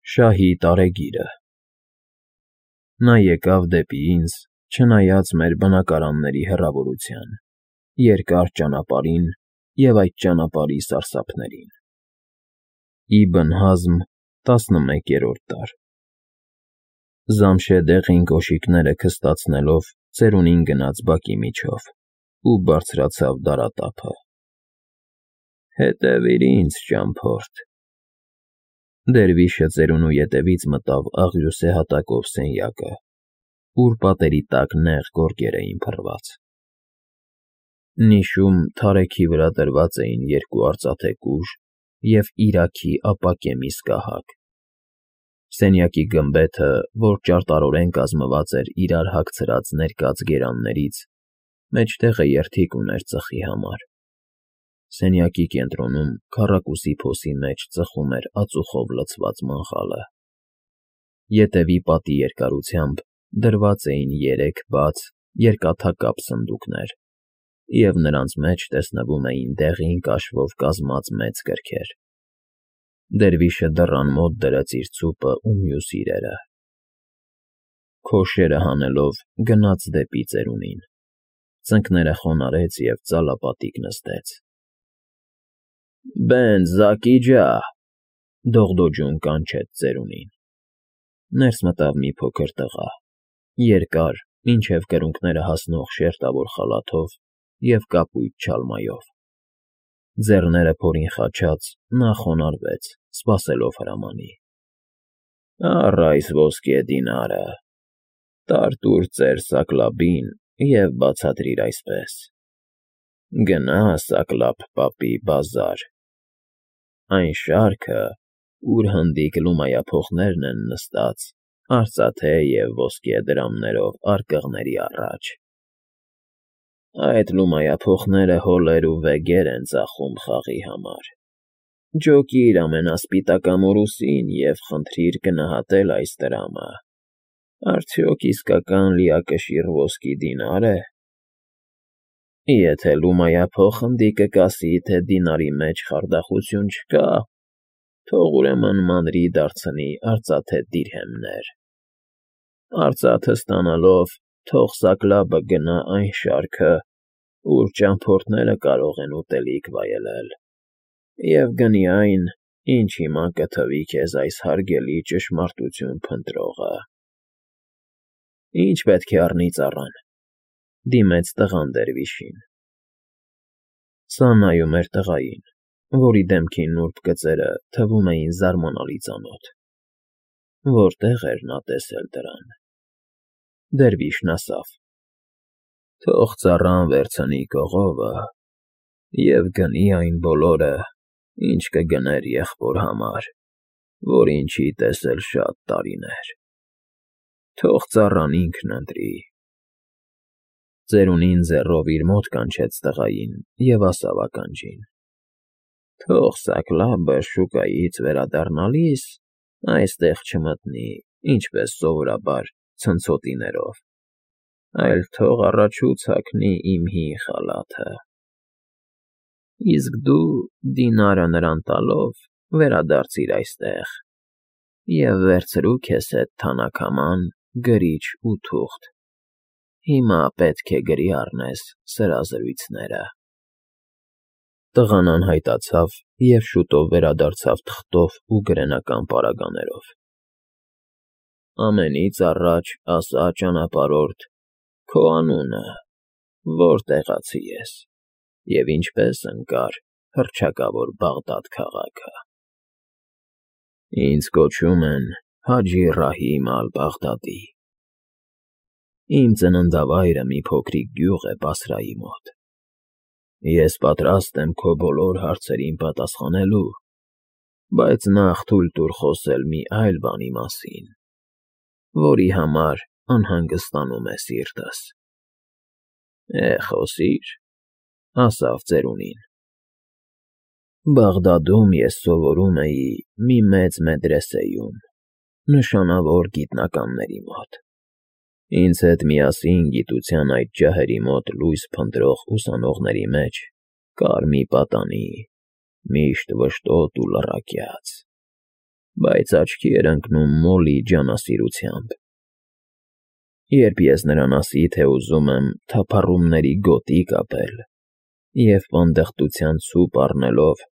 Շահի տարեգիրը։ Նա եկավ դեպի ինձ, չնայած մեր բնակարանների հեռավորության, երկար ճանապարհին և այդ ճանապարհի սարսափներին։ Իբն Հազմ 11-րդ դար։ Զամշե դեղին կոշիկները քստացնելով ծերունին գնաց բակի միջով ու բարձրացավ դարատափը։ Հետևիր ինձ, ճամփորդ։ Դերվիշը ծերունու ետևից մտավ աղյուսե հատակով սենյակը, ուր պատերի տակ նեղ գորգեր էին փռված։ Նիշում թարեքի վրա դրված էին երկու արծաթե կուժ և իրաքի ապակե միսկահակ։ Սենյակի գմբեթը, որ ճարտարորեն կազմված էր իրար հագցրած ներկած գերաններից, մեջտեղը երդիկ ուներ ծխի համար։ Սենյակի կենտրոնում քառակուսի փոսի մեջ ծխում էր ածուխով լցված մանղալը։ Ետևի պատի երկարությամբ դրված էին 3 բաց, երկաթակապ սնդուկներ, և նրանց մեջ տեսնվում էին դեղին կաշվով կազմած մեծ գրքեր։ Դերվիշը դռան մոտ դրեց իր ցուպը ու մյուս իրերը։ Քոշերը հանելով գնաց դեպի ծերունին, ծնկները խոնարհեց և ծալապատիկ նստեց։ Բեն Զակի ջա, դողդոջուն կանչեց ծերունին։ Ներս մտավ մի փոքր տղա, երկար, մինչև կրունկները հասնող շերտավոր խալաթով և կապույտ չալմայով։ Ձեռները փորին խաչած՝ նա խոնարհվեց, սպասելով հրամանի։ Առ այս ոսկե դինարը, տար տուր ծեր Սակլաբին և բացատրիր այսպես. գնա Սակլաբ պապի բազար, այն շարքը, ուր հնդիկ լումայափոխներն են նստած արծաթե և ոսկե դրամներով արկղների առաջ։ Այդ լումայափոխները հոլեր ու վեգեր են ծախում խաղի համար։ Ջոկիր ամենասպիտակ ամորուսին և խնդրիր գնահատել այս տրամը, արդյոք իսկական լիակշիռ ոսկի դինա՞ր է։ Եթե լումայափող հնդիկը կասի, թե դինարի մեջ խարդախություն չկա, թող ուրեմն մանրի դարձնի արծաթե դիրհեմներ։ Արծաթը ստանալով թող Սակլաբը գնա այն շարքը, ուր ճամփորդները կարող են ուտելիք վայելել, և գնի այն, ինչ հիմա կթվի քեզ այս հարգելի ճշմարտություն փնտրողը։ Ի՞նչ պետք է առնի ծառան,֊ դիմեց տղան դերվիշին։ Սա նայում էր տղային, որի դեմքի նուրբ գծերը թվում էին զարմանալի ծանոթ։ Որտե՞ղ էր նա տեսել դրան։ Դերվիշն ասավ. Թող ծառան վերցնի կողովը և գնի այն բոլորը, ինչ կգներ եղբոր համար, որին չի տեսել շատ տարիներ։ Թող ծառան ինքն ընտրի։ Ծերունին ձեռով իր մոտ կանչեց տղային և ասավ ականջին. Թող Սակլաբը շուկայից վերադառնալիս այստեղ չմտնի, ինչպես սովորաբար ցնցոտիներով, այլ թող առաջուց հագնի իմ հին խալաթը։ Իսկ դու, դինարը նրան տալով, վերադարձիր այստեղ և վերցրու քեզ հետ թանաքաման, գրիչ ու թուղթ։ Հիմա պետք է գրի առնես սրա զրույցները։ Տղան անհայտացավ և շուտով վերադարձավ թղթով ու գրենական պարագաներով։ Ամենից առաջ ասա, ճանապարհորդ, քո անունը, որ տեղացի ես, և ինչպես ընկար հռչակավոր Բաղդադ քաղաքը։ Ինձ կոչում են Հաջի Ռահիմ ալ֊Բաղդադի։ Իմ ծննդավայրը մի փոքրիկ գյուղ է Բասրայի մոտ։ Ես պատրաստ եմ քո բոլոր հարցերին պատասխանելու, բայց նախ թույլ տուր խոսել մի այլ բանի մասին, որի համար անհանգստանում է սիրտս։ Խոսիր,֊ ասավ ծերունին։ Բաղդադում ես սովորում էի մի մեծ մեդրեսեյում, նշանավոր գիտնականների մոտ։ Ինձ հետ միասին գիտության այդ ջահերի մոտ լույս փնտրող ուսանողների մեջ կար մի պատանի, միշտ վշտոտ ու լռակյաց։ բայց աչքի էր ընկնում Մոլի ջանասիրությամբ։ Երբ ես նրան ասի, թե ուզում եմ թափառումների գոտի կապել և պանդխտության ցուպ առնելով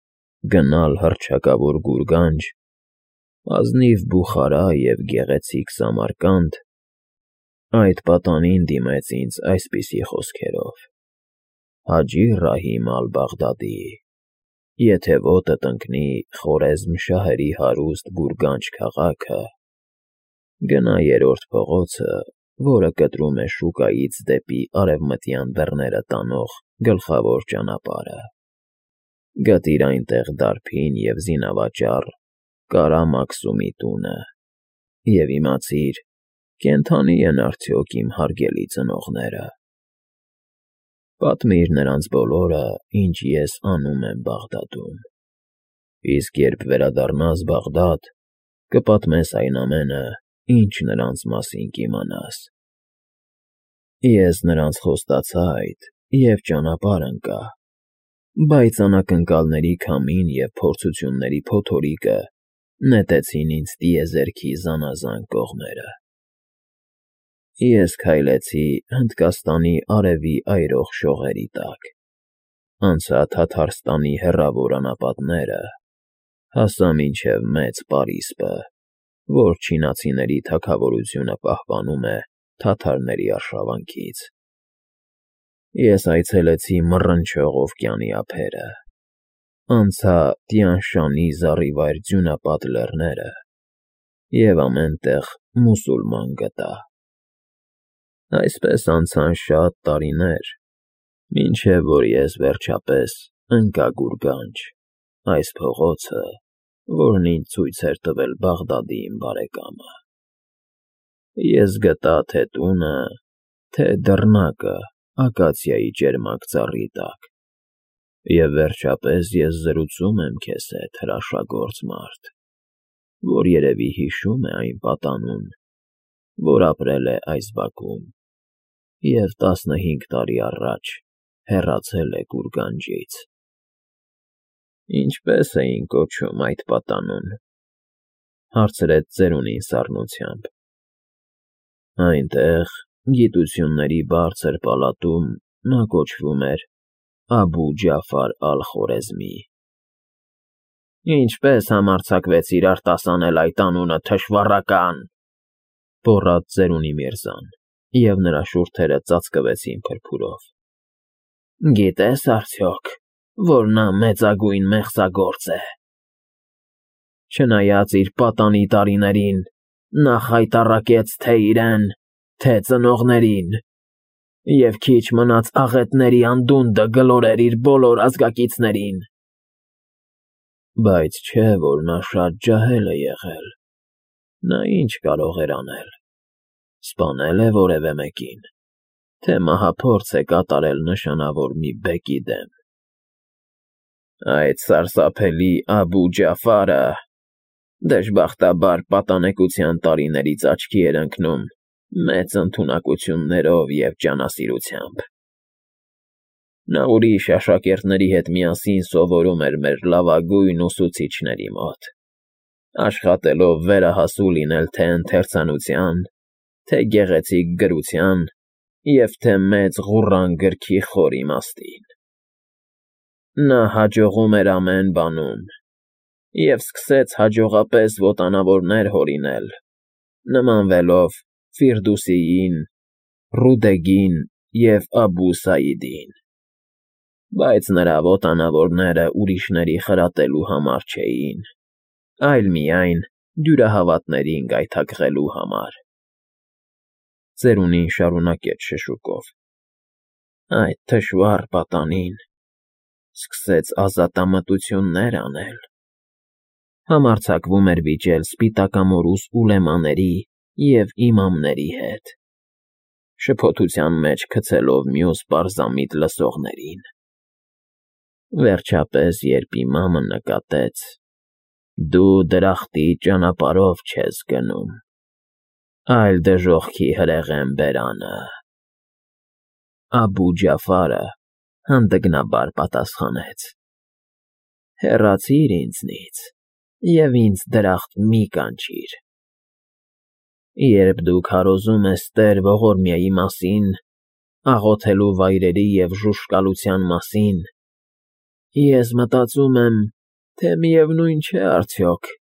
գնալ հռչակավոր գուրգանջ, ազնիվ Բուխարա և գեղեցիկ Սամարկանդ, այդ պատանին դիմեց ինձ այսպիսի խոսքերով. «Հաջի Ռահիմ ալ-Բաղդադի, եթե ոտդ ընկնի Խորեզմ֊շահերի հարուստ Գուրգանջ քաղաքը, գնա երրորդ փողոցը, որը կտրում է շուկայից դեպի արևմտյան դռները տանող գլխավոր ճանապարհը, գտիր այնտեղ դարբին և զինավաճառ Կարա Մաքսումի տունը և իմացիր, կենդանի են արդյոք իմ հարգելի ծնողները։ Պատմիր նրանց բոլորը, ինչ ես անում եմ Բաղդադում, իսկ երբ վերադառնաս Բաղդադ, կպատմես այն ամենը, ինչ նրանց մասին կիմանաս»։ Ես նրանց խոստացա այդ և ճանապարհ ընկա, բայց անակնկալների քամին և փորձությունների փոթորիկը նետեցին ինձ տիեզերքի զանազան կողմերը։ Ես քայլեցի Հնդկաստանի արևի այրող շողերի տակ, անցա Թաթարստանի հեռավոր անապատները, հասա մինչև Մեծ Պարիսպը, որ չինացիների թագավորությունը պահպանում է թաթարների արշավանքից։ Ես այցելեցի մռնչող օվկիանի ափերը, անցա Տյան֊Շանի զառիվայր ձյունապատ լեռները և ամեն տեղ մուսուլման գտա։ Այսպես անցան շատ տարիներ, մինչև որ ես վերջապես ընկա Գուրգանջ, այս փողոցը, որն ինձ ցույց էր տվել Բաղդադի իմ բարեկամը։ Ես գտա թե տունը, թե դռնակը ակացիայի ճերմակ ծառի տակ, և վերջապես ես զրուցում եմ քեզ հետ, հրաշագործ մարդ, որ երևի հիշում է այն պատանուն, որ ապրել է այս բակում և 15 տարի առաջ հեռացել է Գուրգանջից։ Ինչպե՞ս էին կոչում այդ պատանուն, հարցրեց ծերունին սառնությամբ։ Այնտեղ, գիտությունների բարձր պալատում, նա կոչվում էր Աբու Ջաֆար ալ-Խորեզմի։ Ինչպե՞ս համարձակվեցիր արտասանել այդ անունը, թշվառական, գոռաց ծերունի Միրզան, և նրա շուրթերը ծածկվեցին փրփուրով։ Գիտես արդյոք, որ նա մեծագույն մեղսագործ է։ Չնայած իր պատանի տարիներին, նա խայտառակեց թե իրեն, թե ծնողներին, և քիչ մնաց աղետների անդունդը գլորեր իր բոլոր ազգակիցներին։ Բայց չէ, որ նա շատ ջահել է եղել։ Նա ինչ կարող էր անել։ Սպանել է որևէ մեկին, թե մահափորձ է կատարել նշանավոր մի բեկի դեմ։ Այդ սարսափելի Աբու Ջաֆարը, դժբախտաբար, պատանեկության տարիներից աչքի էր ընկնում մեծ ընդունակություններով և ջանասիրությամբ։ Նա ուրիշ աշակերտների հետ միասին սովորում էր մեր լավագույն ուսուցիչների մոտ, աշխատելով վերահասու լինել թե ընթերցանության, թե գեղեցիկ գրության և թե մեծ ղուրան գրքի խոր իմաստին։ Նա հաջողում էր ամեն բանում և սկսեց հաջողապես ոտանավորներ հորինել, նմանվելով Ֆիրդուսիին, Ռուդեգին և Աբու Սաիդին, բայց նրա ոտանավորները ուրիշների խրատելու համար չէին, այլ միայն դյուրահավատներին գայթակղելու համար։ Ծերունին շարունակեց շշուկով. Այդ թշվառ պատանին սկսեց ազատամտություններ անել, համարձակվում էր վիճել սպիտակամորուս ուլեմաների և իմամների հետ, շփոթության մեջ գցելով մյուս պարզամիտ լսողներին։ Վերջապես, երբ իմամը նկատեց. «Դու դրախտի ճանապարհով չես գնում, այլ դժոխքի հրեղեն բերանը», Աբու Ջաֆարը հանդգնաբար պատասխանեց. «Հեռացիր ինձնից, և ինձ դրախտ մի կանչիր։ Երբ դու քարոզում ես Տեր Ողորմիայի մասին, աղոթելու վայրերի և ժուժկալության մասին, ես մտածում եմ, թե միևնույն չէ արդյոք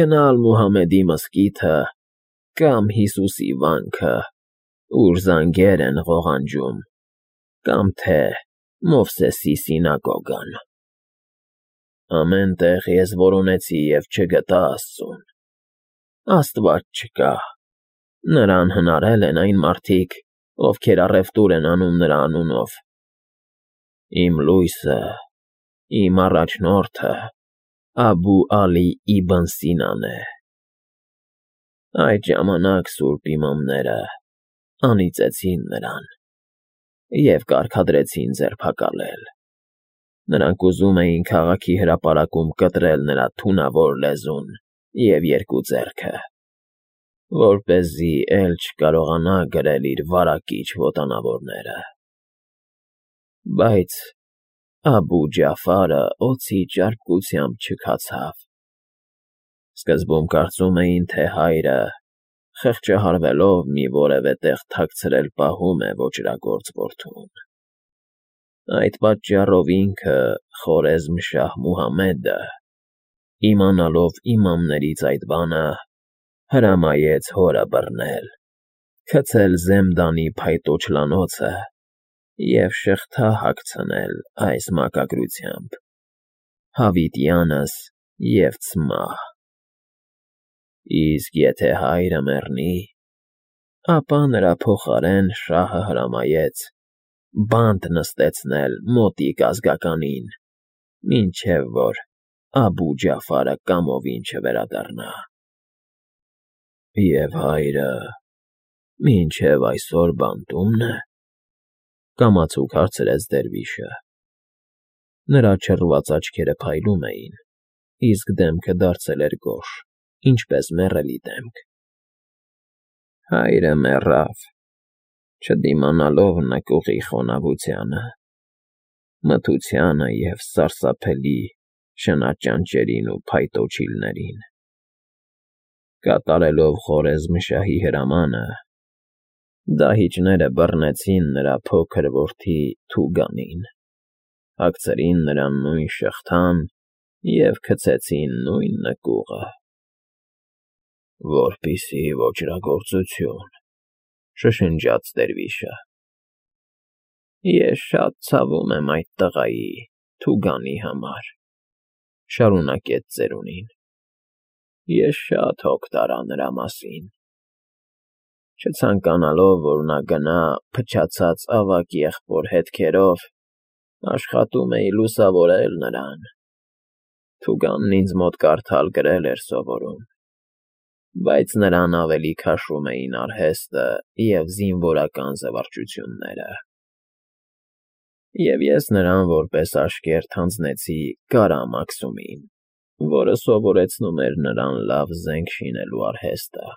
գնալ Մուհամեդի մզկիթը կամ Հիսուսի վանքը, ուր զանգեր են ղողանջում, կամ թե Մովսեսի սինագոգան։ Ամեն տեղ ես որոնեցի և չգտա Աստծուն։ Աստված չկա, նրան հնարել են այն մարդիկ, ովքեր առևտուր են անում նրա անունով։ Իմ լույսը, իմ առաջնորդը Աբու Ալի Իբն Սինան է։ Այդ ժամանակ սուրբ իմամները անիծեցին նրան և կարգադրեցին ձերբակալել։ Նրանք ուզում էին քաղաքի հրապարակում կտրել նրա թունավոր լեզուն և երկու ձեռքը, որպեսզի էլ չկարողանա գրել իր վարակիչ ոտանավորները։ Բայց Աբու Ջաֆարը օձի ճարպկությամբ չքացավ։ Սկզբում կարծում էին, թե հայրը, խղճահարվելով մի որևէ տեղ թաքցրել, պահում է ոճրագործ որդուն։ Այդ պատճառով ինքը, Խորեզմ֊Շահ Մուհամեդը, իմանալով իմամներից այդ բանը, հրամայեց հորը բռնել, գցել Զեմդանի փայտո չլանոցը և շղթա հագցնել այս մակագրությամբ. «Հավիտյանս և ցմահ»։ Իսկ եթե հայրը մեռնի, ապա նրա փոխարեն շահը հրամայեց բանտ նստեցնել մոտիկ ազգականին, մինչև որ Աբու Ջաֆարը կամովին չվերադառնա։ Եվ հայրը մինչև այսօր բանտում՞ն է,֊ կամացուկ հարցրեց դերվիշը։ Նրա չռված աչքերը փայլում էին, իսկ դեմքը դարձել էր գորշ, ինչպես մեռելի դեմք։ Հայրը մեռավ, չդիմանալով նկուղի խոնավությանը, մթությանը և սարսափելի շնաճանճերին ու փայտո չիլներին։ Կատարելով Խորեզմ֊Շահի հրամանը, դահիճները բռնեցին նրա փոքր որդի Թուգանին, հագցրին նրան նույն շղթան և գցեցին նույն նկուղը։ Որպեսզի ոճրագործություն,֊ շշնջաց դերվիշը։ Ես շատ ցավում եմ այդ տղայի՝ Թուգանի համար,֊ շարունակեց ծերունին։ Ես շատ հոգ տարա նրա մասին։ Չցանկանալով, որ նա գնա փչացած ավագ եղբոր հետքերով, աշխատում էի լուսավորել նրան։ Թուգանն ինձ մոտ կարդալ֊գրել էր սովորում, բայց նրան ավելի քաշում էին արհեստը և զինվորական զվարճությունները։ Եվ ես նրան որպես աշկերտ հանձնեցի Կարամ Աքսումին, որը սովորեցնում էր նրան լավ զենք շինելու արհեստը։